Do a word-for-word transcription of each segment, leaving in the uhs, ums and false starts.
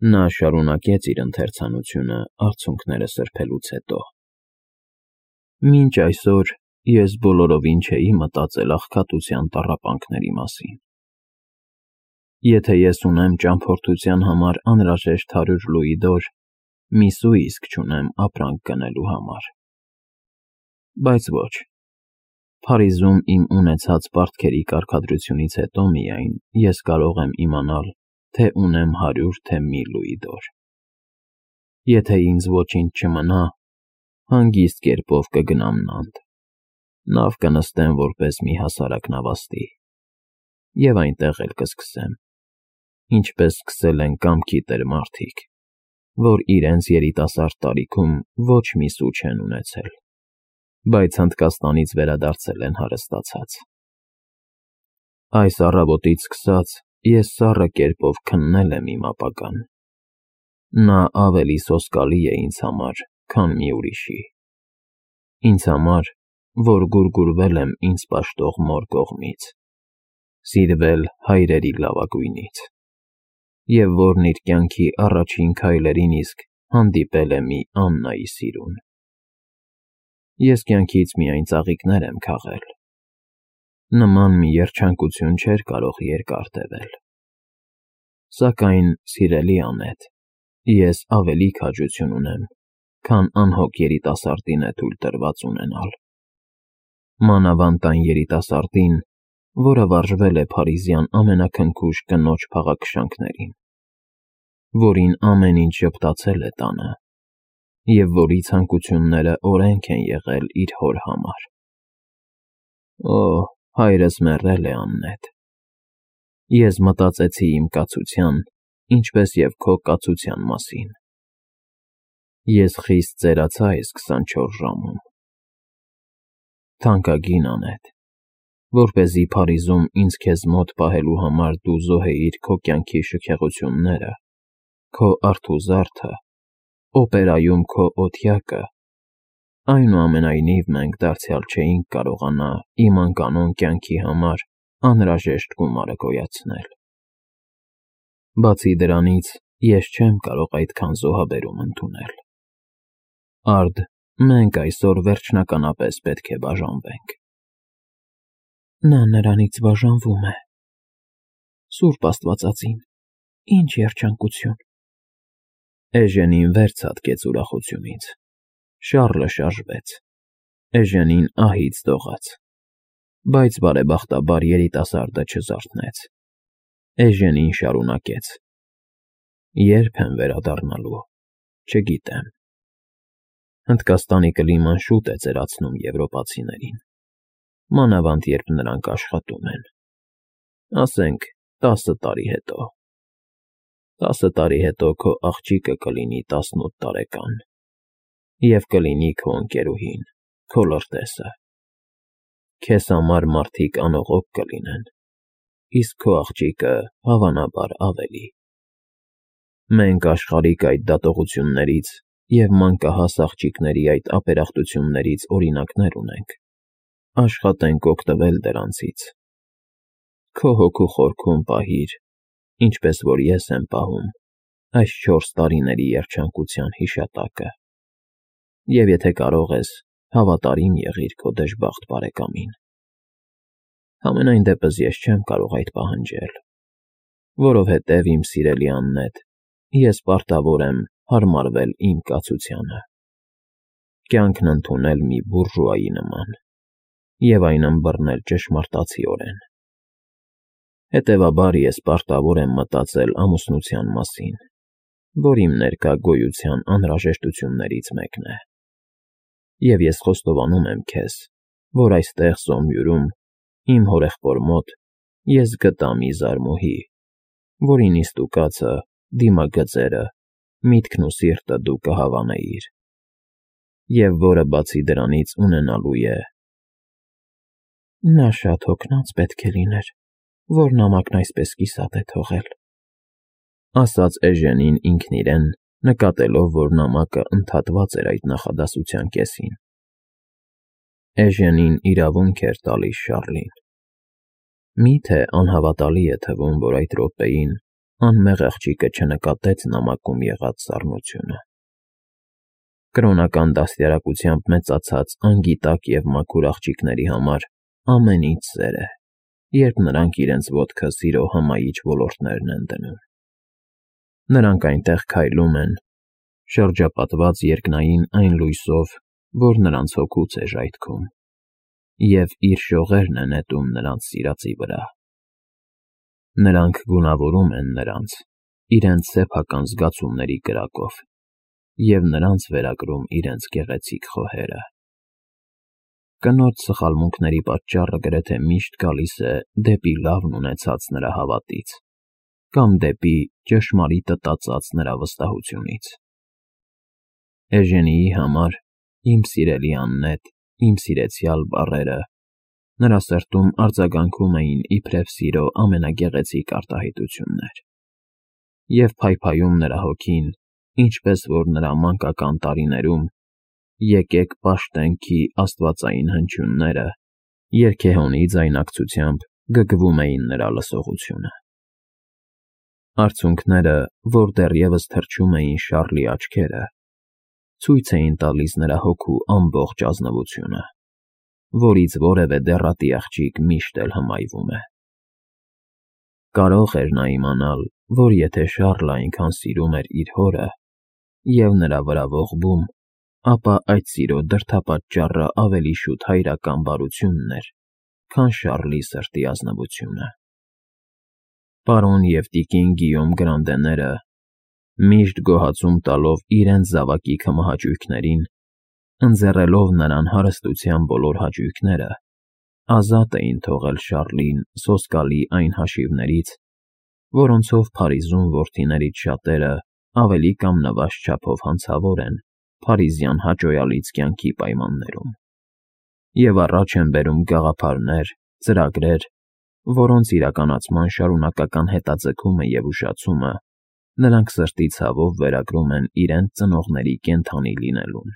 Նա շարունակեց իր ընթերցանությունը արցունքները սրբելուց հետո. Մինչ այսօր ես բոլորովին չէի մտածել աղքատության տառապանքների մասին։ Եթե ես ունեմ ճամփորդության համար անհրաժեշտ հարյուր լուիդոր, միս ու իսկ չունեմ ապրանք գնելու համար։ Բայց ոչ, Փարիզում իմ ունեցած պարտքերի կարգադրությունից հետո միայն ես կարող եմ իմանալ, թե ունեմ հարյուր թե մի լուիդոր։ Եթե ինձ ոչինչ չմնա, հանգիստ կերպով կգնամ Նանտ, նավ կնստեմ որպես մի հասարակ նավաստի, և այնտեղ էլ կսկսեմ, ինչպես սկսել են կամքի տեր մարդիկ, որ իրենց երիտասարդ տարիքում ոչ մի սու չեն ունեցել, բայց Հնդկաստանից վերադարձել են հարստացած։ Այս առավոտից սկսած ես սառը կերպով քննել եմ իմ ապագան։ Նա ավելի սոսկալի է ինձ համար, քան մի ուրիշի։ Ինձ համար, որ գուրգուրվել եմ ինձ պաշտող մոր կողմից, սիրվել հայրերի լավագույնից, և որն իր կյանքի առաջին քայլերին իսկ հանդիպել է մի Աննայի սիրուն։ Ես կյանքից միայն ծաղիկներ եմ քաղել։ Նման մի երջանկություն չէր կարող երկար տևել։ Սակայն, սիրելի անետ, ես ավելի քաջություն ունեմ, քան անհոգ երիտասարդին է թույլ տրված ունենալ։ Մանավանդ այն երիտասարդին, որը վարժվել է փարիզյան ամենաքնքուշ կնոջ փաղաքշանքներին, որին ամեն ինչ ժպտացել է տանը, և որի ցանկությունները օրենք են եղել իր հոր համար։ Օ, հայրս մեռել է, Աննետ։ Ես մտածեցի իմ կացության, ինչպես և քո կացության մասին։ Ես խիստ ծերացա այս քսանչորս ժամում։ Թանկագին անետ, որպեսզի Փարիզում ինձ քեզ մոտ պահելու համար դու զոհեիր քո կյանքի շքեղությունները, քո արթուզարդը, օպերայում քո օթյակը, այնուամենայնիվ մենք դարձյալ չէինք կարողանա իմ անկանոն կյանքի համար անհրաժեշտ գումարը գոյացնել։ Բացի դրանից, ես չեմ կարող այդքան զոհաբերում ընդունել։ Արդ, մենք այսօր վերջնականապես պետք է բաժանվենք։ Նա նրանից բաժանվում է։ Սուրբ Աստվածածին, ինչ երջանկություն։ Էժենին վեր ցատկեց ուրախությունից։ Շառլը շարժվեց։ Էժենին ահից դողաց։ Բայց բարեբախտաբար երիտասարդը չզարթնեց։ Էժենին շարունակեց. Ե՞րբ եմ վերադառնալու, չգիտեմ։ Հնդկաստանի կլիման շուտ է ծերացնում եվրոպացիներին, մանավանդ երբ նրանք աշխատում են։ Ասենք, տասը տարի հետո։ Տասը տարի հետո քո աղջիկը կլինի տասնութ տարեկան, և կլինի քո ընկերուհին, քո լրտեսը։ Քեզ համար մարդիկ անողոք կլինեն, իսկ քո աղջիկը, հավանաբար, ավելի։ Մենք աշխարհիկ այդ դատողություններից և մանկահաս աղջիկների այդ ապերախտություններից օրինակներ ունենք, աշխատենք օգտվել դրանցից։ Քո հոգու խորքում պահիր, ինչպես որ ես եմ պահում, այս չորս տարիների երջանկության հիշատակը, և եթե կարող ես, հավատարիմ եղիր քո դժբախտ բարեկամին։ Համենայն դեպս ես չեմ կարող այդ պահանջել, որովհետև, իմ սիրելի Աննետ, ես պարտավոր եմ հարմարվել իմ կացությանը, կյանքն ընդունել մի բուրժուայի նման և այն ըմբռնել ճշմարտացիորեն։ Հետևաբար, ես պարտավոր եմ մտածել ամուսնության մասին, որ իմ ներկա գոյության անհրաժեշտություններից մեկն է։ Եվ ես խոստովանում եմ քեզ, որ այստեղ Զոմյուռում, իմ հորեղբոր մոտ, ես գտա մի զարմուհի, որի նիստուկացը, դիմագծերը, միտքն ու սիրտը դու կհավանեիր, և որը բացի դրանից ունենալու է… Նա շատ հոգնած պետք է լիներ, որ նամակն այսպես կիսատ է թողել, ասաց Էժենին ինքն իրեն, նկատելով, որ նամակը ընդհատված էր այդ նախադասության կեսին։ Էժենին իրավունք էր տալիս Շառլին։ Մի՞թե անհավատալի է թվում, որ այդ րոպեին անմեղ աղջիկը չնկատեց նամակում եղած սառնությունը։ Կրոնական դաստիարակությամբ մեծացած անգիտակ և մաքուր աղջիկների համար ամեն ինչ սեր է, երբ նրանք իրենց ոտքը սիրո հմայիչ ոլորտներն են դնում։ Նրանք այնտեղ քայլում են, շրջապատված երկնային այն լույսով, որ նրանց հոգուց է ժայթքում, և իր շողերն է նետում նրանց սիրածի վրա։ Նրանք գունավորում են նրանց իրենց սեփական զգացումների կրակով և նրանց վերագրում իրենց գեղեցիկ խոհերը։ Կնոջ սխալմունքների պատճառը գրեթե միշտ գալիս է դեպի լավն ունեցած նրա հավատից կամ դեպի ճշմարիտը տածած նրա վստահությունից։ Էժենիի համար «իմ սիրելի Աննետ, իմ սիրեցյալ» բառերը նրա սրտում արձագանքում էին իբրև սիրո ամենագեղեցիկ արտահայտություններ, և փայփայում նրա հոգին, ինչպես որ նրա մանկական տարիներում «Եկեք պաշտենք»-ի աստվածային հնչյունները երգեհոնի ձայնակցությամբ գգվում էին նրա լսողությունը։ Արցունքները, որ դեռևս թրջում էին Շառլի աչքերը, ցույց էին տալիս նրա հոգու ամբողջ ազնվությունը, որից որևէ դեռատի աղջիկ միշտ էլ հմայվում է։ Կարո՞ղ էր նա իմանալ, որ եթե Շառլը այնքան սիրում էր իր հորը և նրա վրա ողբում, ապա այդ սիրո դրդապատճառը ավելի շուտ հայրական բարությունն էր, քան Շառլի սրտի ազնվությունը։ Պարոն և տիկին Գիյոմ Գրանդեները, միշտ գոհացում տալով իրենց զավակի քմահաճույքներին, ընձեռելով նրան հարստության բոլոր հաճույքները, ազատ էին թողել Շառլին սոսկալի այն հաշիվներից, որոնցով Փարիզում որդիներից շատերը ավելի կամ նվազ չափով հանցավոր են փարիզյան հաճոյալից կյանքի պայմաններում, և առաջ են բերում գաղափարներ, ծրագրեր, որոնց իրականացման շարունակական հետաձգումը և ուշացումը նրանք սրտի ցավով վերագրում են իրենց ծնողների կենդանի լինելուն։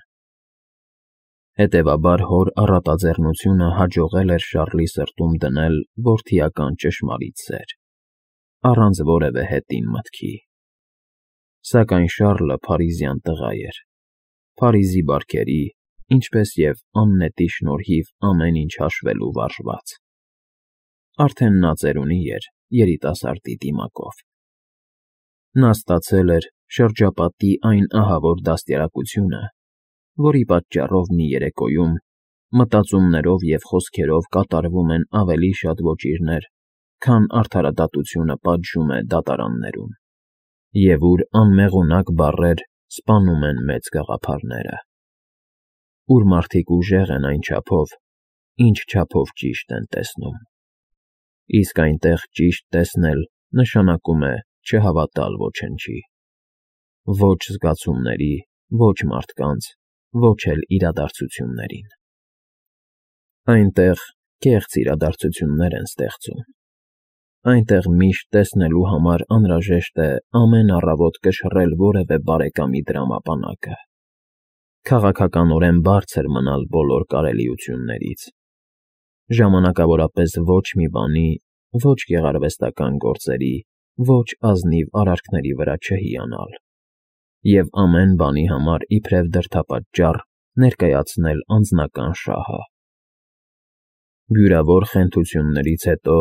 Հետևաբար հոր առատաձեռնությունը հաջողել էր Շառլի սրտում դնել որդիական ճշմարիտ սեր, առանց որևէ հետին մտքի։ Սակայն Շառլը փարիզյան տղա էր, Փարիզի բարքերի, ինչպես և Աննետի շնորհիվ ամեն ինչ հաշվելու վարժված։ Արդեն նա ծերունի էր երիտասարդի դիմակով։ Նա ստացել էր շրջապատի այն ահավոր դաստիարակությունը, որի պատճառով մի երեկոյում մտածումներով և խոսքերով կատարվում են ավելի շատ ոճիրներ, քան արդարադատությունը պատժում է դատարաններում, և ուր անմեղունակ բառեր սպանում են մեծ գաղափարները, ուր մարդիկ ուժեղ են այն չափով, ինչ չափով ճիշտ են տեսնում, իսկ այնտեղ ճիշտ տեսնել նշանակում է չհավատալ ոչնչի, ոչ զգացումների, ոչ մարդկանց, ոչ էլ իրադարձություններին։ Այնտեղ կեղծ իրադարձություններ են ստեղծում։ Այնտեղ միշտ տեսնելու համար անհրաժեշտ է ամեն առավոտ կշռել որևէ բարեկամի դրամապանակը, քաղաքականորեն բարձր մնալ բոլոր կարելիություններից, ժամանակավորապես ոչ մի բանի, ոչ գեղարվեստական գործերի, ոչ ազնիվ արարքների վրա չհիանալ, և ամեն բանի համար իբրև դրդապատճառ ներկայացնել անձնական շահը։ Բյուրավոր խենթություններից հետո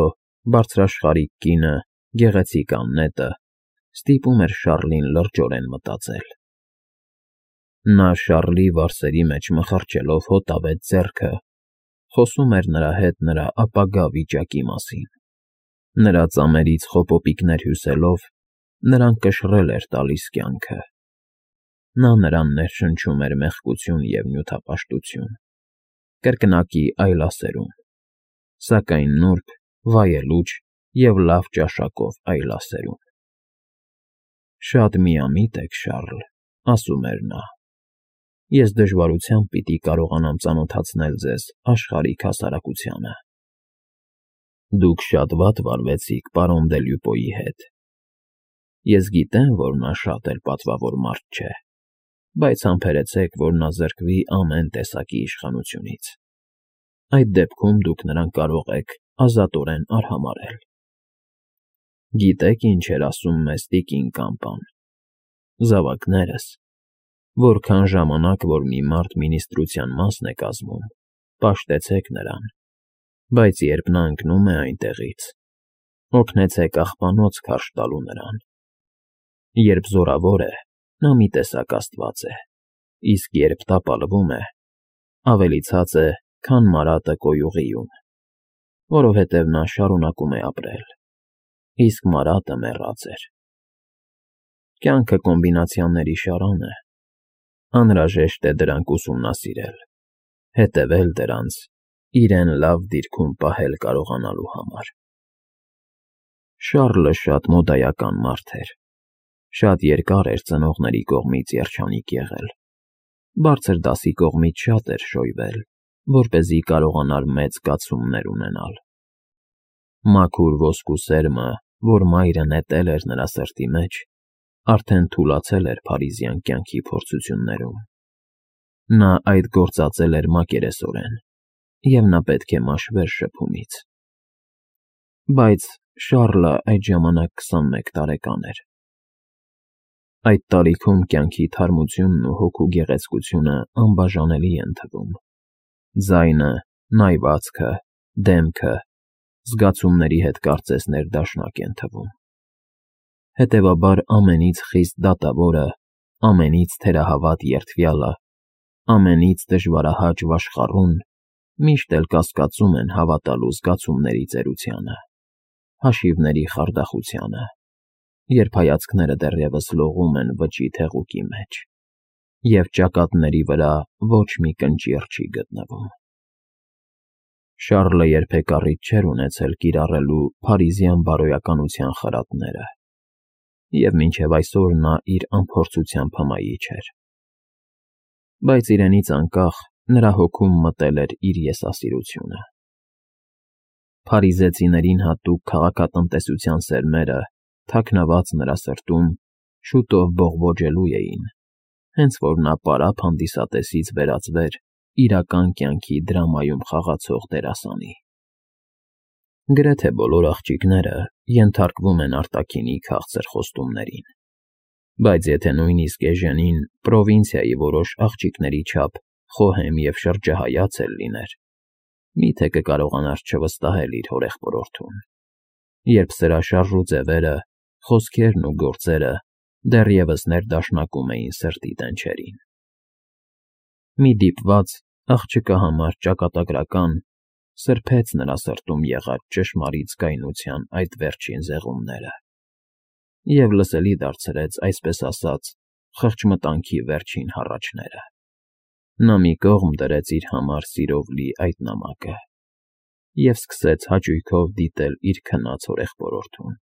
բարձրաշխարհիկ կինը, գեղեցիկ Աննետը, ստիպում էր Շառլին լրջորեն մտածել։ Նա Շառլի վարսերի մեջ մխրճելով հոտավետ ձեռքը, խոսում էր նրա հետ նրա ապագա վիճակի մասին, նրա ծամերից խոպոպիկներ հյուսելով նրան կշռել էր տալիս կյանքը։ Նա նրան ներշնչում էր մեղքություն և նյութապաշտություն, կրկնակի այլասերում, սակայն նուրբ, վայելուչ և լավ ճաշակով այլասերում։ «Շատ միամիտ եք, Շառլ», ասում էր նա, «ես դժվարությամբ պիտի կարողանամ ծանոթացնել ձեզ աշխարհիկ հասարակությանը»։ «Դուք շատ վատ վարվեցիք պարոն դե Լյուպոյի հետ։ Ես գիտեմ, որ նա շատ էլ պատվավոր մարդ չէ, բայց համբերեցեք, որ նա զրկվի ամեն տեսակի իշխանությունից։ Այդ դեպքում դուք նրան կարող եք ազատորեն արհամարհել»։ Գիտեք ինչ էր ասում մեզ տիկին Կամպան. «Զավակներս, որքան ժամանակ որ մի մարդ մինիստրության մասն է կազմում, պաշտեցեք նրան, բայց երբ նա ընկնում է այնտեղից, օգնեցեք աղբանոց քարշ տալու նրան։ Երբ զորավոր է, նա մի տեսակ աստված է, իսկ երբ տապալվում է, ավելի ցած է, քան մարատը կոյուղիում, որովհետև նա շարունակում է ապրել, իսկ մարատը մեռած էր։ Կյանքը կոմբինացիաների շարան է, անհրաժեշտ է դրանք ուսումնասիրել, հետևել դրանց, իրեն լավ դիրքում պահել կարողանալու համար»։ Շառլը շատ մոդայական մարդ էր, շատ երկար էր ծնողների կողմից երջանիկ եղել, բարձր դասի կողմից շատ էր շոյվել, որպեսզի կարողանար մեծ կացումներ ունենալ։ Մաքուր ոսկու սերմը, որ մայրը նետել էր նրա սրտի մեջ, արդեն թուլացել էր փարիզյան կյանքի փորձություններում։ Նա այդ գործածել էր մակերեսորեն, և նա պետք է մաշվեր շփումից։ Բայց Շառլը այդ ժամանակ քսանմեկ տարեկան էր։ Այդ տարիքում կյանքի թարմությունն ու հոգու գեղեցկությունը անբաժանելի են թվում։ Ձայնը, նայվածքը, դեմքը, զգացումների հետ կարծես ներդաշնակ են թվում։ Հետևաբար ամենից խիստ դատավորը, ամենից թերահավատ երդվյալը, ամենից դժվարահաճ վաշխառուն միշտ էլ կասկածում են հավատալու զգացումների ծերությանը, հաշիվների խարդախությանը, երբ հայացքները դեռևս լողում են վճիտ հեղուկի մեջ, և ճակատների վրա ոչ մի կնճիռ չի գտնվում։ Շառլը երբեք առիթ չէր ունեցել կիրառելու փարիզյան բարոյականության խրատները, և մինչև այսօր նա իր անփորձությամբ հմայիչ էր։ Բայց իրենից անկախ նրա հոգում մտել էր իր եսասիրությունը։ Փարիզեցիներին հատուկ քաղաքատնտեսության սերմերը, թաքնված նրա սրտում, շուտով բողբոջելու էին, հենց որ նա պարապ հանդիսատեսից վերածվեր իրական կյանքի դրամայում խաղացող դերասանի։ Գրեթե բոլոր աղջիկները ենթարկվում են արտաքինի քաղցր խոստումներին, բայց եթե նույնիսկ Էժենին պրովինցիայի որոշ աղջիկների չափ խոհեմ և շրջահայաց էլ լիներ, մի՞թե կկարողանար չվստահել իր հորեղբորորդուն, երբ սրա շարժ ու ձևերը, խոսքերն ու գործերը դեռևս ներդաշնակում էին սրտի տենչերին։ Մի դիպված, աղջկա համար ճակատագրական, սրբեց նրա սրտում եղած ճշմարիտ զգայունության այդ վերջին զեղումները և լսելի դարձրեց, այսպես ասած, խղճմտանքի վերջին հառաչները։ Նա մի կողմ դրեց իր համար սիրով լի այդ նամակը և սկսեց հաճույքով դիտել իր քնած հորեղբորորդուն։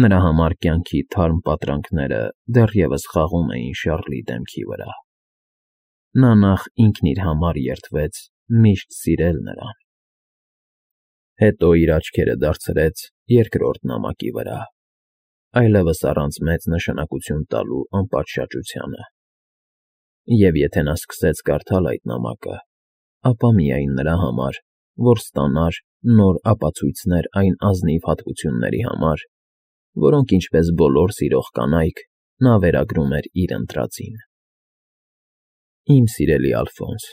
Նրա համար կյանքի թարմ պատրանքները դեռևս խաղում էին Շառլի դեմքի վրա։ Նա նախ ինքն իր համար երդվեց միշտ սիրել նրան, հետո իր աչքերը դարձրեց երկրորդ նամակի վրա, այլևս առանց մեծ նշանակություն տալու անպատշաճությանը։ Եվ եթե նա սկսեց կարդալ այդ նամակը, ապա միայն նրա համար, որ ստանար նոր ապացույցներ այն ազնիվ հատկությունների համար, որոնք, ինչպես բոլոր սիրող կանայք, նա վերագրում էր իր ընտրածին։ Իմ սիրելի Ալֆոնս,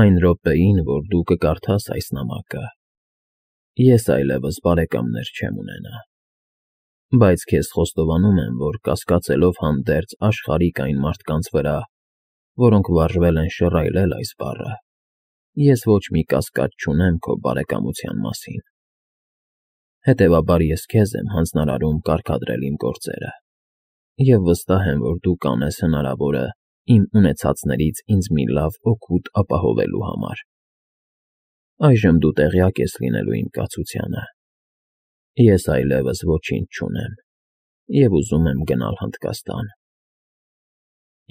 այն րոպեին, որ դու կկարդաս այս նամակը, ես այլևս բարեկամներ չեմ ունենա, բայց քեզ խոստովանում եմ, որ կասկածելով հանդերձ աշխարհիկ այն մարդկանց վրա, որոնք վարժվել են շռայլել այս բառը, ես ոչ մի կասկած չունեմ քո բարեկամության մասին։ Հետևաբար ես քեզ եմ հանձնարարում կարգադրել իմ գործերը և վստահ եմ, որ դու կանես հնարավորը իմ ունեցածներից ինձ մի լավ օգուտ ապահովելու համար։ Այժմ դու տեղյակ ես լինելու իմ կացությանը։ Ես այլևս ոչինչ չունեմ և ուզում եմ գնալ Հնդկաստան։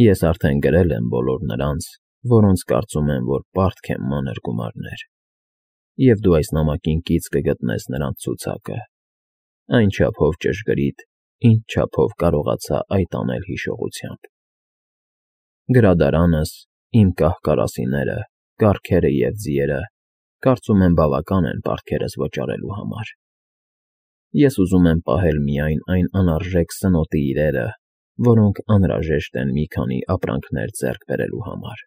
Ես արդեն գրել եմ բոլոր նրանց, որոնց կարծում եմ, որ պարտք են մանր գումարներ, և դու այս նամակին կից կգտնես նրանց ցուցակը, այն չափով ճշգրիտ, ինչ չափով կարողացա այդ անել հիշողությամբ։ Գրադարանս, իմ կահ֊կարասիները, կառքերը և ձիերը կարծում եմ բավական են պարտքերս վճարելու համար։ Ես ուզում եմ պահել միայն այն անարժեք սնոտի իրերը, որոնք անհրաժեշտ են մի քանի ապրանքներ ձեռք բերելու համար։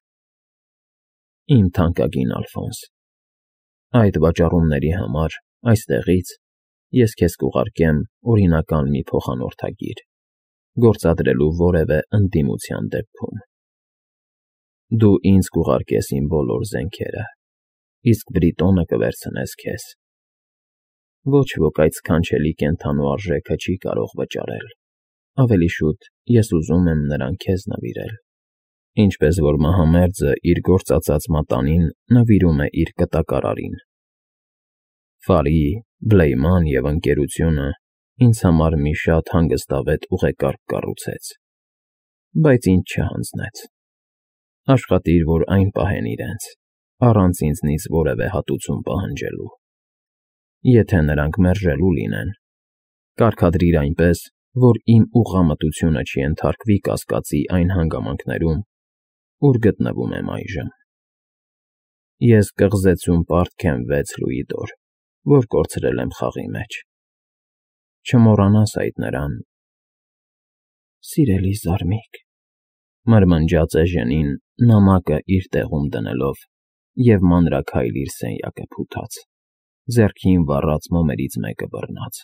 Իմ թանկագին Ալֆոնս, այդ վաճառումների համար այստեղից ես քեզ կուղարկեմ օրինական մի փոխանորդագիր, գործադրելու որևէ ընդդիմության դեպքում։ Դու ինձ կուղարկես իմ բոլոր զենքերը, իսկ Բրիտոնը կվերցնես քեզ։ Ոչ ոք այդ սքանչելի կենդանու արժեքը չի կարող վճարել, ավելի շուտ ես ուզում եմ նրան քեզ նվիրել, ինչպես որ մահամերձը իր գործածած մատանին նվիրում է իր կտակարարին։ Ֆարի, Բլեյման և Ընկերությունը ինձ համար մի շատ հանգստավետ ուղեկարգ կառուցեց, բայց ինձ չհանձնեց։ Աշխատիր, որ այն պահեն իրենց, առանց ինձնից որևէ հատուցում պահանջելու։ Եթե նրանք մերժելու լինեն, կարգադրիր այնպես, որ իմ ուղղամտությունը չենթարկվի կասկածի այն հանգամանքներում, ուր գտնվում եմ այժմ։ Ես կղզեցում պարտք եմ վեց լուիդոր, որ կորցրել եմ խաղի մեջ։ Չմոռանաս այդ նրան… Սիրելի զարմիկ,֊ մրմնջաց Էժենին նամակը իր տեղում դնելով և մանրաքայլ իր սենյակը փութաց, ձեռքին վառած մոմերից մեկը բռնած։